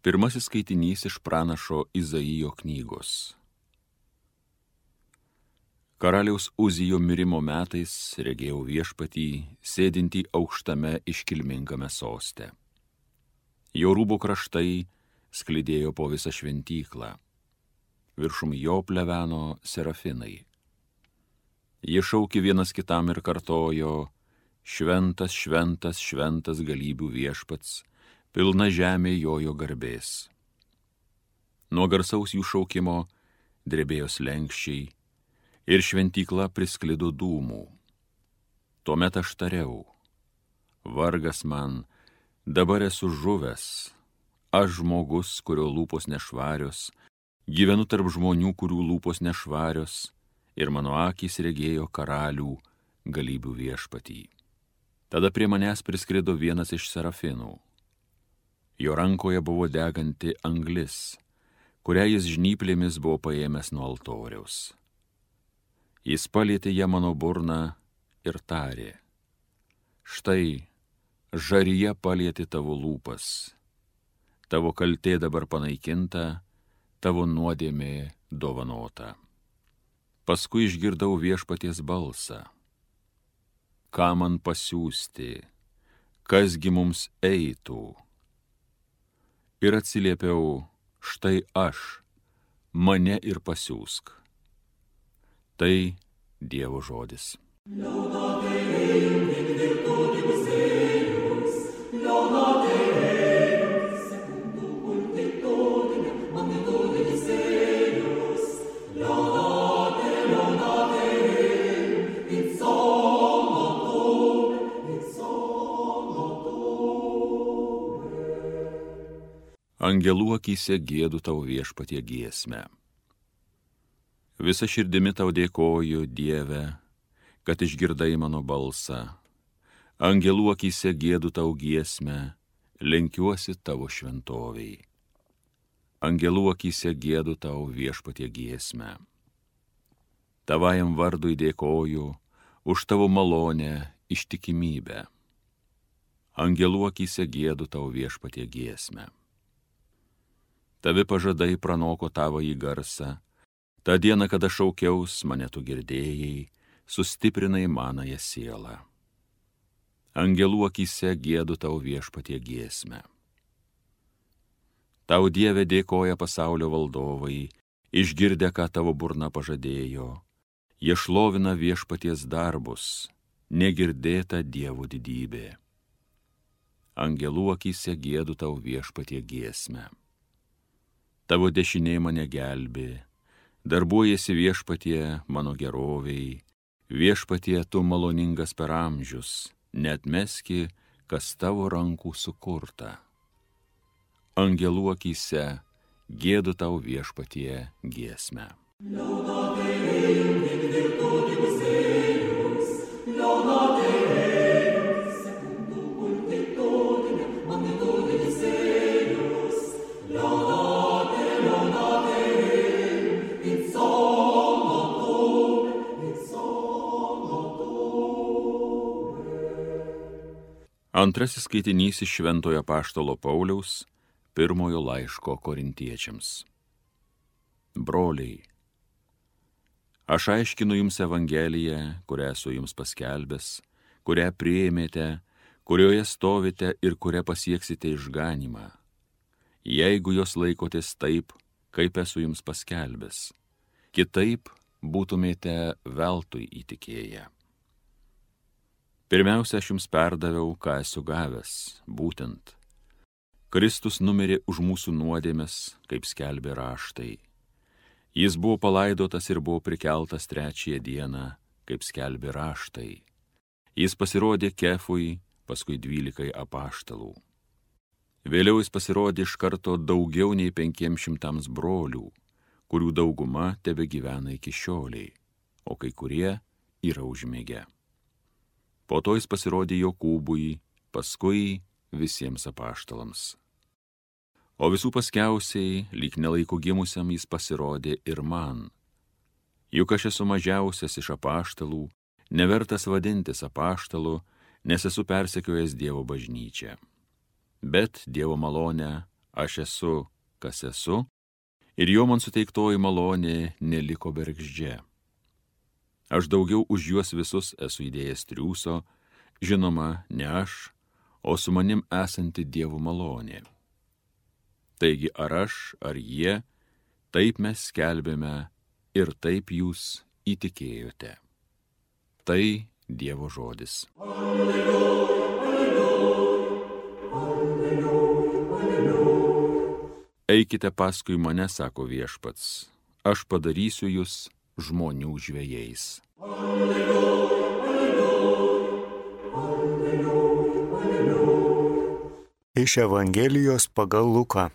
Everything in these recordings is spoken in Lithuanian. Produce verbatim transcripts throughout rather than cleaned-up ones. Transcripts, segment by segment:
Pirmasis skaitinys iš pranašo Izaijo knygos. Karaliaus Uzijo mirimo metais regėjau Viešpatį, sėdintį aukštame iškilmingame soste. Jo rūbų kraštai sklidėjo po visą šventyklą. Viršum jo pleveno serafinai. Jie šaukė vienas kitam ir kartojo: Šventas, šventas, šventas galybių Viešpats, pilna žemė jojo garbės. Nuo garsaus jų šaukimo drebėjo slenksčiai ir šventykla prisklido dūmų. Tuomet aš tariau: vargas man, dabar esu žuvęs, aš žmogus, kurio lūpos nešvarios, gyvenu tarp žmonių, kurių lūpos nešvarios, ir mano akys regėjo karalių galybių Viešpatį. Tada prie manęs priskrido vienas iš serafinų. Jo rankoje buvo deganti anglis, kurią jis žnyplėmis buvo paėmęs nuo altoriaus. Jis palietė ją mano burną ir tarė: štai, žaryje palietė tavo lūpas, tavo kaltė dabar panaikinta, tavo nuodėmė dovanota. Paskui išgirdau Viešpaties balsą: ką man pasiųsti, kasgi mums eitų? Ir atsiliepiau: štai aš, mane ir pasiųsk. Tai Dievo žodis. Angelų akyse giedu tau Viešpatie giesmę. Visa širdimi tau dėkoju, Dieve, kad išgirdai mano balsą. Angelų akyse giedu tau giesmę, lenkiuosi tavo šventoviai. Angelų akyse giedu tau Viešpatie giesmę. Tavajam vardui dėkoju už tavo malonę, ištikimybę. Angelų akyse giedu tau Viešpatie giesmę. Tavi pažadai pranoko tavąjį garsą, tą dieną, kada šaukiaus, mane tu girdėjai, sustiprinai manąją sielą. Angelų akyse giedu tau Viešpatie giesmę. Tau Dieve dėkoja pasaulio valdovai, išgirdę, ką tavo burna pažadėjo, jie šlovina Viešpaties darbus, negirdėta Dievo didybė. Angelų akyse giedu tau Viešpatie giesmę. Tavo dešinė mane gelbė, darbuojasi Viešpatie mano geroviai, Viešpatie tu maloningas per amžius, neatmeski, kas tavo rankų sukurta. Angelų akyse giedu tau Viešpatie giesmę. Antrasis skaitinys iš Šventojo apaštalo Pauliaus pirmojo laiško korintiečiams. Broliai, aš aiškinu jums Evangeliją, kurią esu jums paskelbęs, kurią priėmėte, kurioje stovite ir kurią pasieksite išganymą, jeigu jos laikotės taip, kaip esu jums paskelbęs. Kitaip būtumėte veltui įtikėję. Pirmiausia, aš jums perdaviau, ką esu gavęs, būtent. Kristus numirė už mūsų nuodėmes, kaip skelbė raštai. Jis buvo palaidotas ir buvo prikeltas trečiąją dieną, kaip skelbė raštai. Jis pasirodė Kefui, paskui dvylikai apaštalų. Vėliau jis pasirodė iš karto daugiau nei penkiems šimtams brolių, kurių dauguma tebegyvena iki šioliai, o kai kurie yra užmigę. Po to jis pasirodė Jokūbui, paskui visiems apaštalams. O visų paskiausiai, lyg nelaiko gimusiam, jis pasirodė ir man. Juk aš esu mažiausias iš apaštalų, nevertas vadintis apaštalu, nes esu persekiojęs Dievo bažnyčią. Bet Dievo malonę aš esu, kas esu, ir jo man suteiktoji malonė neliko bergždžia. Aš daugiau už juos visus esu įdėjęs triūso, žinoma, ne aš, o su manim esanti Dievo malonė. Taigi ar aš, ar jie, taip mes skelbėme ir taip jūs įtikėjote. Tai Dievo žodis. Alleluja, alleluja, alleluja, alleluja. Eikite paskui mane, sako Viešpats, aš padarysiu jūs žmonių žvejais. Alleluja, alleluja, alleluja, alleluja. Iš Evangelijos pagal Luką.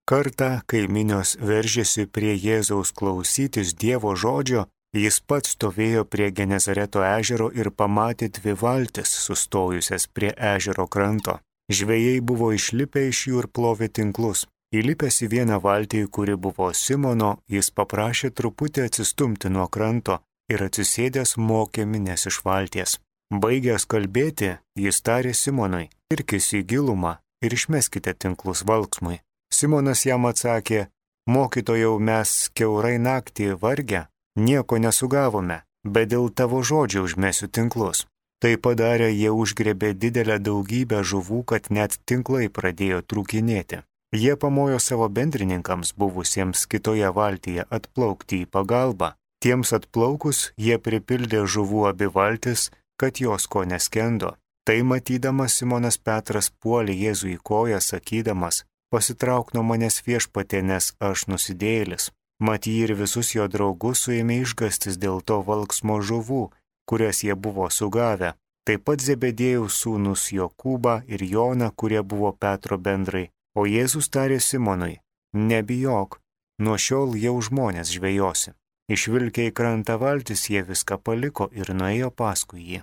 Kartą, kai minios veržėsi prie Jėzaus klausytis Dievo žodžio, jis pats stovėjo prie Genezareto ežero ir pamatė dvi valtis sustojusias prie ežero kranto. Žvejai buvo išlipę iš jų ir plovė tinklus. Įlipęs į vieną valtį, kuri buvo Simono, jis paprašė truputį atsistumti nuo kranto ir atsisėdęs mokė mines iš valties. Baigęs kalbėti, jis tarė Simonui: irkis į gilumą ir išmeskite tinklus valksmui. Simonas jam atsakė: mokytojau, mes kiaurai naktį vargę, nieko nesugavome, bet dėl tavo žodžio užmesiu tinklus. Tai padarę, jie užgrebė didelę daugybę žuvų, kad net tinklai pradėjo trūkinėti. Jie pamojo savo bendrininkams buvusiems kitoje valtyje atplaukti į pagalbą. Tiems atplaukus jie pripildė žuvų abi valtis, kad jos ko neskendo. Tai matydamas Simonas Petras puolė Jėzui į koją, sakydamas: pasitrauk nuo manęs, Viešpatie, nes aš nusidėjėlis. Mat jį ir visus jo draugus suėmė išgąstis dėl to valksmo žuvų, kurias jie buvo sugavę. Taip pat Zebedėjaus sūnus Jokūbą ir Joną, kurie buvo Petro bendrai. O Jėzus tarė Simonui: nebijok, nuo šiol jau žmonės žvejosi. Išvilkę į krantą valtis, jie viską paliko ir nuėjo paskui jį.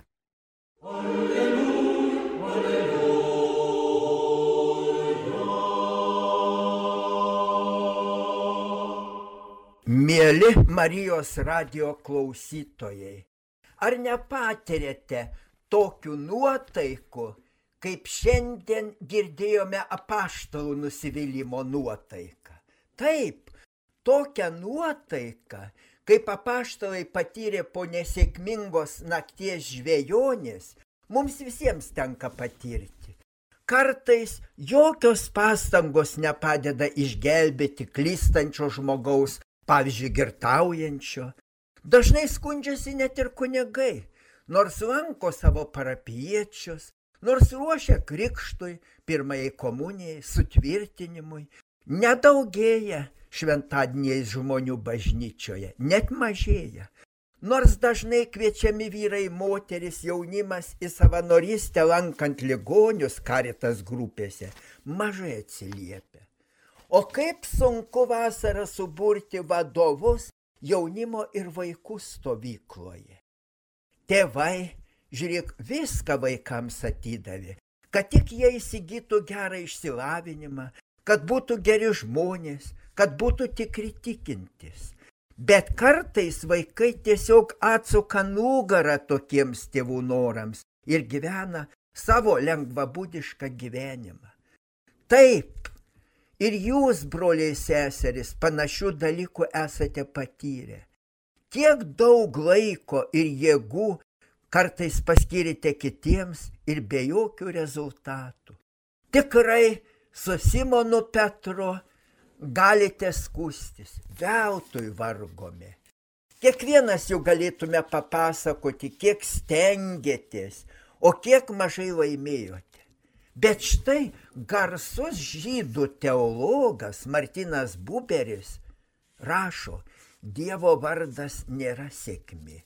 Alleluja, alleluja. Mieli Marijos radijo klausytojai, ar nepatirėte tokių nuotaikų, kaip šiandien girdėjome apaštalų nusivylimo nuotaiką? Taip, tokią nuotaiką, kaip apaštalai patyrė po nesėkmingos nakties žvejonės, mums visiems tenka patirti. Kartais jokios pastangos nepadeda išgelbėti klystančio žmogaus, pavyzdžiui, girtaujančio. Dažnai skundžiasi net ir kunigai, nors lanko savo parapijiečius, nors ruošia krikštui, pirmajai komunijai, sutvirtinimui. Nedaugėja šventadieniais žmonių bažnyčioje, net mažėja. Nors dažnai kviečiami vyrai, moteris, jaunimas į savanorystę lankant ligonius Caritas grupėse, mažai atsiliepia. O kaip sunku vasarą suburti vadovus jaunimo ir vaikų stovykloje. Tėvai, žiūrėk, viską vaikams atidavė, kad tik jie įsigytų gerą išsilavinimą, kad būtų geri žmonės, kad būtų tikri tikintis. Bet kartais vaikai tiesiog atsuka nugarą tokiems tėvų norams ir gyvena savo lengvabūdišką gyvenimą. Taip, ir jūs, broliai seserys, panašių dalykų esate patyrę. Tiek daug laiko ir jėgų kartais paskirite kitiems ir be jokių rezultatų. Tikrai su Simonu Petru galite skųstis, veltui vargome. Kiekvienas jau galėtume papasakoti, kiek stengiatės, o kiek mažai laimėjote. Bet štai garsus žydų teologas Martinas Buberis rašo: Dievo vardas nėra sėkmė.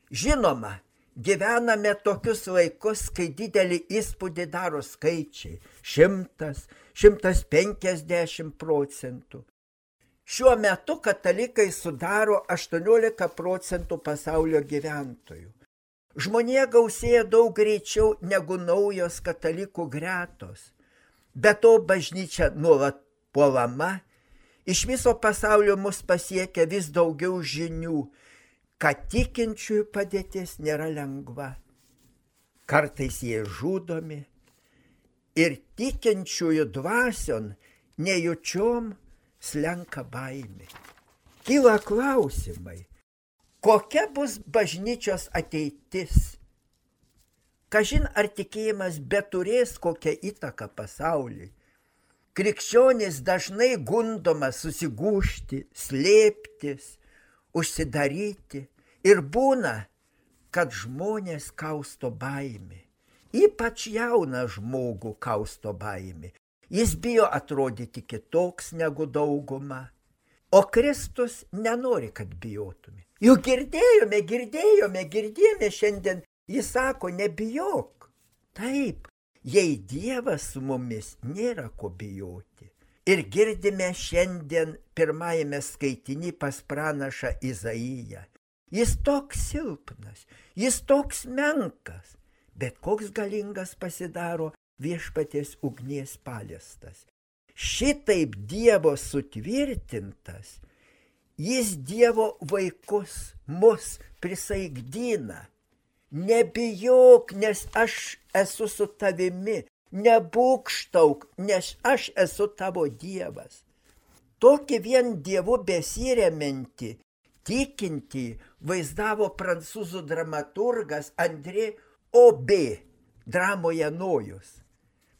Žinoma, gyvename tokius laikus, kai didelį įspūdį daro skaičiai – šimtas, šimtas penkiasdešimt procentų. Šiuo metu katalikai sudaro aštuoniolika procentų pasaulio gyventojų. Žmonija gausėja daug greičiau negu naujos katalikų gretos. Be to bažnyčia nuolat puolama, iš viso pasaulio mus pasiekia vis daugiau žinių, kad tikinčiųjų padėtis nėra lengva. Kartais jie žudomi ir tikinčiųjų dvasion nejučiom slenka baimė. Kyla klausimai, kokia bus bažnyčios ateitis? Kažin ar tikėjimas beturės kokią įtaką pasauliui. Krikščionys dažnai gundoma susigūžti, slėptis, užsidaryti ir būna, kad žmonės kausto baimė. Ypač jauną žmogų kausto baimė. Jis bijo atrodyti kitoks negu dauguma. O Kristus nenori, kad bijotume. Juk girdėjome, girdėjome, girdėjome šiandien. Jis sako, nebijok. Taip, jei Dievas su mumis, nėra ko bijoti. Ir girdime šiandien pirmajame skaitiny pas pranašą Izaiją. Jis toks silpnas, jis toks menkas, bet koks galingas pasidaro viešpaties ugnies paliestas. Šitaip Dievo sutvirtintas, jis Dievo vaikus, mus prisaigdina. Nebijok, nes aš esu su tavimi, nebūkštauk, nes aš esu tavo Dievas. Tokį vien Dievu besiremiantį, tikintį vaizdavo prancūzų dramaturgas André Aubé dramoje Nojus.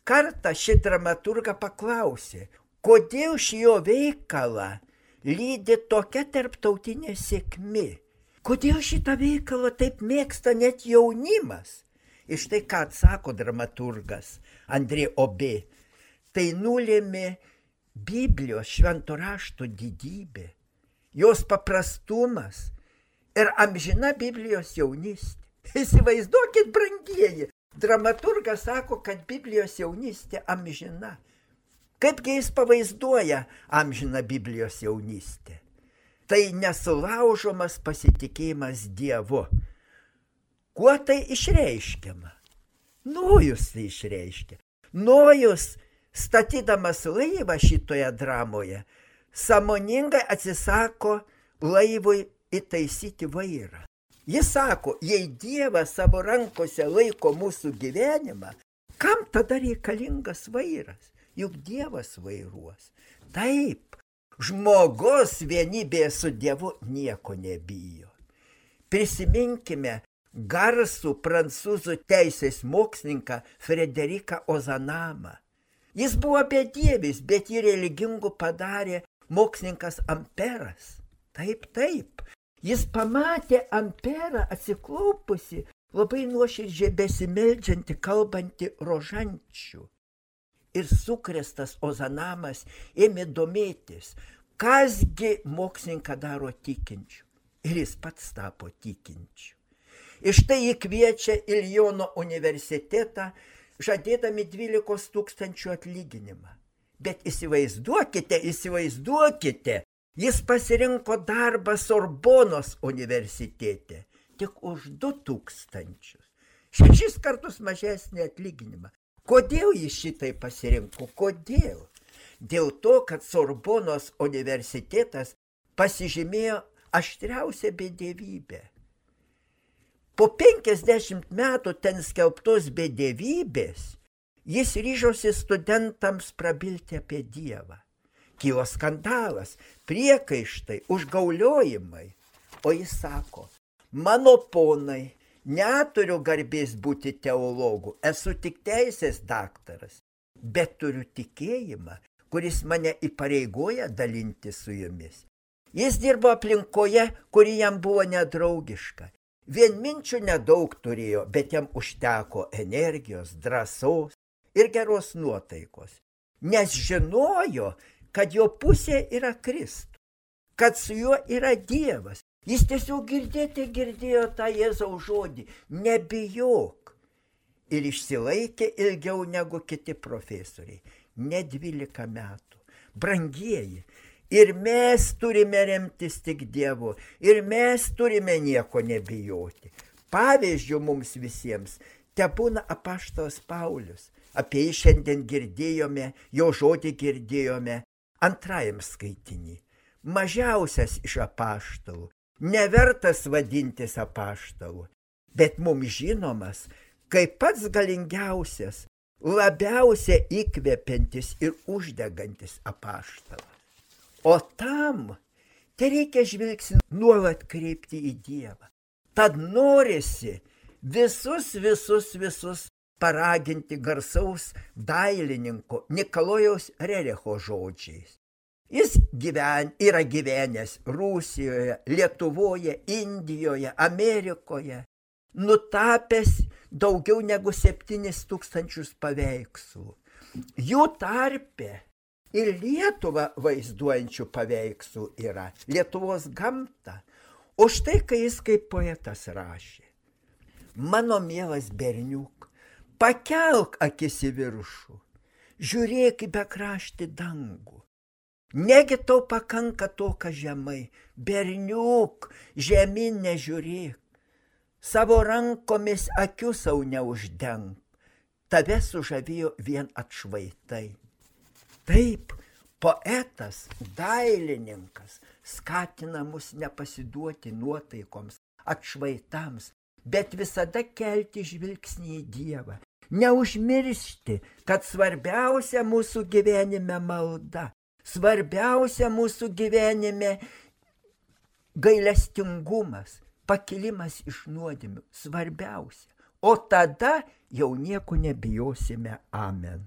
Kartą ši dramaturga paklausė, kodėl šį jo veikalą lydi tokia tarptautinė sėkmė. Kodėl šitą veikalą taip mėgsta net jaunimas? Ir štai ką atsako dramaturgas André Aubé. Tai nulėmė Biblijos švento rašto didybė, jos paprastumas ir amžina Biblijos jaunystė. Įsivaizduokit, brangieji, dramaturgas sako, kad Biblijos jaunystė amžina. Kaipgi jis pavaizduoja amžiną Biblijos jaunystę? Tai nesulaužomas pasitikėjimas Dievu. Kuo tai išreiškiama? Nojus tai išreiškia. Nojus, statydamas laivą šitoje dramoje, sąmoningai atsisako laivui įtaisyti vairą. Jis sako, jei Dievas savo rankose laiko mūsų gyvenimą, kam tada reikalingas vairas? Juk Dievas vairuos. Taip, žmogus vienybėje su Dievu nieko nebijo. Prisiminkime garsų prancūzų teisės mokslininką Frederiką Ozanamą. Jis buvo bedievis, bet jį religingų padarė mokslininkas Amperas. Taip, taip. Jis pamatė Amperą atsiklaupusi, labai nuoširdžiai besimeldžiantį, kalbantį rožančių. Ir sukrėstas Ozanamas ėmė domėtis, kasgi mokslininką daro tikinčių. Ir jis pats tapo tikinčiu. Ir štai jį kviečia į Liono universitetą, žadėdami dvylikos tūkstančių atlyginimą. Bet įsivaizduokite, įsivaizduokite, jis pasirinko darbą Sorbonos universitete tik už du tūkstančius. Šešis kartus mažesnį atlyginimą. Kodėl jis šitai pasirinko? Kodėl? Dėl to, kad Sorbonos universitetas pasižymėjo aštriausią bedevybę. Po penkiasdešimt metų ten skelbtos bedevybės jis ryžosi studentams prabilti apie Dievą. Kilo skandalas, priekaištai, užgauliojimai. O jis sako, mano ponai, neturiu garbės būti teologu, esu tik teisės daktaras, bet turiu tikėjimą, kuris mane įpareigoja dalinti su jumis. Jis dirbo aplinkoje, kuri jam buvo nedraugiška. Vienminčių nedaug turėjo, bet jam užteko energijos, drąsos ir geros nuotaikos. Nes žinojo, kad jo pusė yra Kristus, kad su juo yra Dievas. Jis tiesiog girdėti girdėjo tą Jėzaus žodį, nebijok. Ir išsilaikė ilgiau negu kiti profesoriai, ne dvylika metų. Brangieji, ir mes turime remtis tik Dievu, ir mes turime nieko nebijoti. Pavyzdžių mums visiems tebūna apaštalas Paulius. Apie jį šiandien girdėjome, jo žodį girdėjome antrajam skaitinį. Mažiausias iš apaštalų, nevertas vadintis apaštalu, bet mums žinomas kaip pats galingiausias labiausiai įkvepiantis ir uždegantis apaštalas. O tam tai reikia žvilgsnį nuolat kreipti į Dievą. Tad norisi visus, visus, visus paraginti garsaus dailininko Nikolajaus Rericho žodžiais. Jis gyven, yra gyvenęs Rusijoje, Lietuvoje, Indijoje, Amerikoje, nutapęs daugiau negu septynis tūkstančius paveikslų. Jų tarpe ir Lietuvą vaizduojančių paveikslų yra, Lietuvos gamtą. O štai, kai jis kaip poetas rašė: mano mielas berniuk, pakelk akis į viršų, žiūrėk į bekraštį dangų. Negi tau pakanka to, kas žemai, berniuk, žemyn nežiūrėk, savo rankomis akių sau neuždenk, tave sužavėjo vien atšvaitai. Taip, poetas, dailininkas skatina mus nepasiduoti nuotaikoms, atšvaitams, bet visada kelti žvilgsnį į Dievą. Neužmiršti, kad svarbiausia mūsų gyvenime malda, svarbiausia mūsų gyvenime gailestingumas, pakilimas iš nuodėmių, svarbiausia. O tada jau nieko nebijosime. Amen.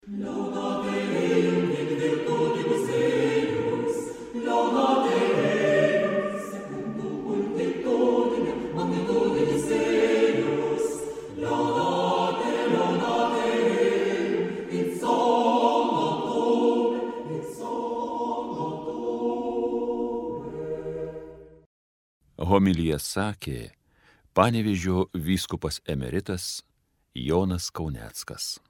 Laudate Deum in virtutibus eius, laudate Deum secundum multitudinem magnitudibus eius, laudate, laudate Deum in solum, in solum. Homiliją sakė Panevėžio vyskupas emeritas Jonas Kauneckas.